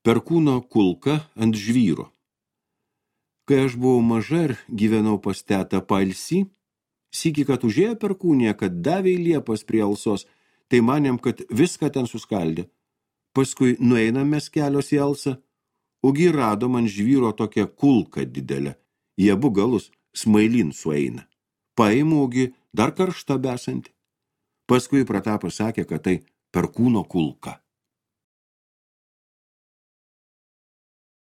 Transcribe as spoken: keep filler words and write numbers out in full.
Perkūno kulka ant žvyro. Kai aš buvau maža ir gyvenau pas tetą pailsį, sykį, kad užėjo perkūnė, kad davė į liepas prie Alsos, tai manėm, kad viską ten suskaldė. Paskui nueinam mes kelios į Alsą, ogi radom ant žvyro tokią kulką didelę. Į abu galus smailin sueina. Paimu, ogi dar karšta besanti. Paskui Pratapas sakė, kad tai perkūno kulka.